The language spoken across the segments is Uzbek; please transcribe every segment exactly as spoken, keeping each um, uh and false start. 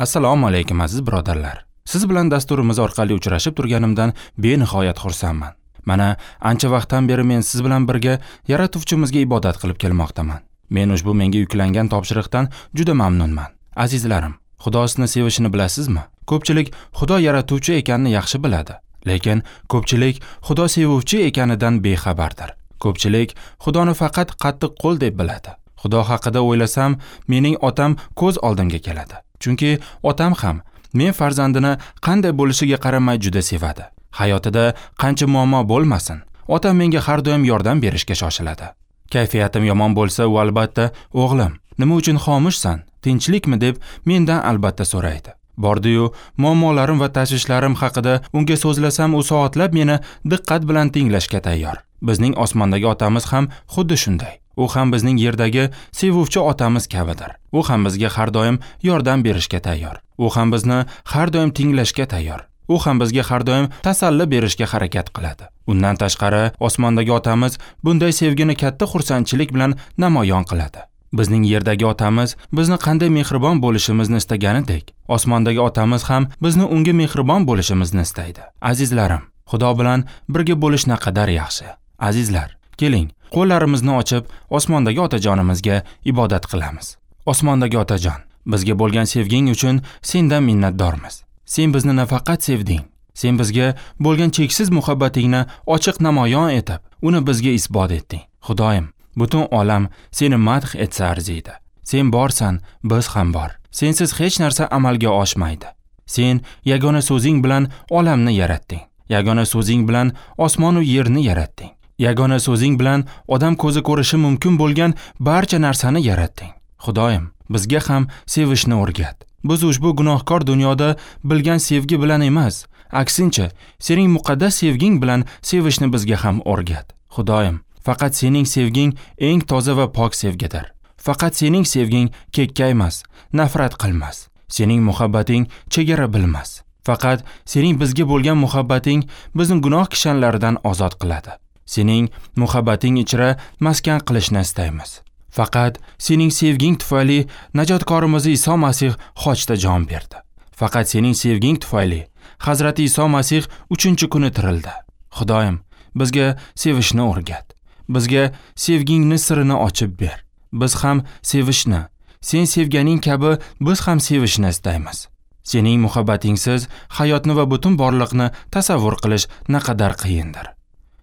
Assalomu alaykum aziz birodarlar. Siz bilan dasturimiz orqali uchrashib turganimdan benihoyat xursandman. Mana ancha vaqtdan beri men siz bilan birga Yaratuvchimizga ibodat qilib kelmoqdaman. Men ushbu menga yuklangan topshiriqdan juda mamnunman. Azizlarim, Xudo sizni sevishini bilasizmi? Ko'pchilik Xudo yaratuvchi ekanini yaxshi biladi, lekin ko'pchilik Xudo sevuvchi ekanidan bexabardir. Ko'pchilik Xudoni faqat qattiq qo'l deb biladi. Xudo haqida o'ylasam, mening otam ko'z oldimga keladi. Chunki otam ham men farzandini qanday bo'lishiga qaramay juda sevadi. Hayotida qancha muammo bo'lmasin, otam menga har doim yordam berishga shoshiladi. Kayfiyatim yomon bo'lsa, u albatta, "O'g'lim, nima uchun xomushsan? Tinchlikmi?" deb mendan albatta so'raydi. Bordi-yu, muammolarim va tashvishlarim haqida unga so'zlasam, u soatlab meni diqqat bilan tinglashga tayyor. Bizning osmondagi otamiz ham xuddi shunday. U ham bizning yerdagi sevuvchi otamiz kabidir. U ham bizga har doim yordam berishga tayyor. U ham bizni har doim tinglashga tayyor. U ham bizga har doim tasalli berishga harakat qiladi. Undan tashqari, osmondagi otamiz bunday sevgini katta xursandchilik bilan namoyon qiladi. Bizning yerdagi otamiz bizni qanday mehribon bo'lishimizni istaganidek, osmondagi otamiz ham bizni unga mehribon bo'lishimizni istaydi. Azizlarim, Xudo bilan birga bo'lish naqadar yaxshi. Azizlar, keling, qo'llarimizni ochib, osmondagi otajonimizga ibodat qilamiz. Osmondagi otajon, bizga bo'lgan sevging uchun sendan minnatdormiz. Sen bizni nafaqat sevding, sen bizga bo'lgan cheksiz muhabbatingni ochiq namoyon etib, uni bizga isbot etding. Xudoyim, butun olam seni madh etsa arziydi. Sen borsan, biz ham bor. Sensiz hech narsa amalga oshmaydi. Sen yagona so'zing bilan olamni yaratding. Yagona so'zing bilan osmon va yerni yaratding. Yagona so'zing bilan odam ko'zi ko'rishi mumkin bo'lgan barcha narsani yaratding. Xudoyim, bizga ham sevishni o'rgat. Biz ushbu gunohkor dunyoda bilgan sevgi bilan emas, aksincha, sening muqaddas sevging bilan sevishni bizga ham o'rgat. Xudoyim, faqat sening sevging eng toza va pok sevgidir. Faqat sening sevging kekkaymas, nafrat qilmas. Sening muhabbating chegara bilmas. Faqat sening bizga bo'lgan muhabbating bizni gunoh kishanlaridan ozod qiladi. Sening muhabbating ichra maskan qilishni istaymiz. Faqat sening sevging tufayli najotkorimiz Iso Masih xochda jon berdi. Faqat sening sevging tufayli Hazrati Iso Masih uchinchi kuni tirildi. Xudoyim, bizga sevishni o'rgat. Bizga sevgingni sirini ochib ber. Biz ham sevishni, sen sevganing kabi biz ham sevishni istaymiz. Sening muhabbatingsiz hayotni va butun borliqni tasavvur qilish naqadar qiyindir.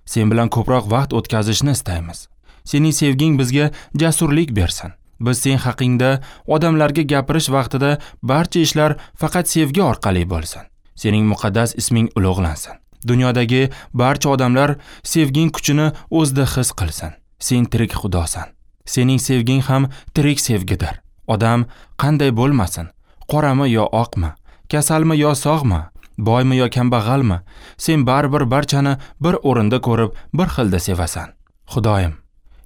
Sen bilan ko'proq vaqt o'tkazishni istaymiz. Sening sevging bizga jasurlik bersin. Biz sen haqingda odamlarga gapirish vaqtida barcha ishlar faqat sevgi orqali bo'lsin. Sening muqaddas isming ulug'lansin. Dunyodagi barcha odamlar sevging kuchini o'zida his qilsin. Sen tirik Xudosan. Sening sevging ham tirik sevgidir. Odam qanday bo'lmasin, qorami yo oqmi, kasalmi yo sog'mi, boymi yo kambag'almi, sen baribir barchani bir o'rinda ko'rib, bir xilda sevasan. Xudoyim,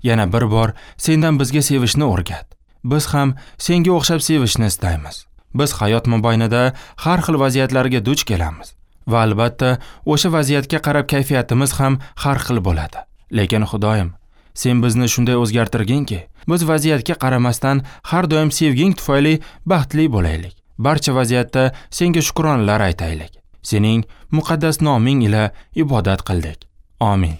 yana bir bor sendan bizga sevishni o'rgat. Biz ham senga o'xshab sevishni istaymiz. Biz hayot mobaynida har xil vaziyatlarga duch kelamiz va albatta o'sha vaziyatga qarab kayfiyatimiz ham har xil bo'ladi. Lekin Xudoyim, sen bizni shunday o'zgartirginki, biz vaziyatga qaramasdan har doim sevging tufayli baxtli bo'laylik. Barcha vaziyatda senga shukronalar aytaylik. Sening muqaddas noming ila ibodat qildik. Amin.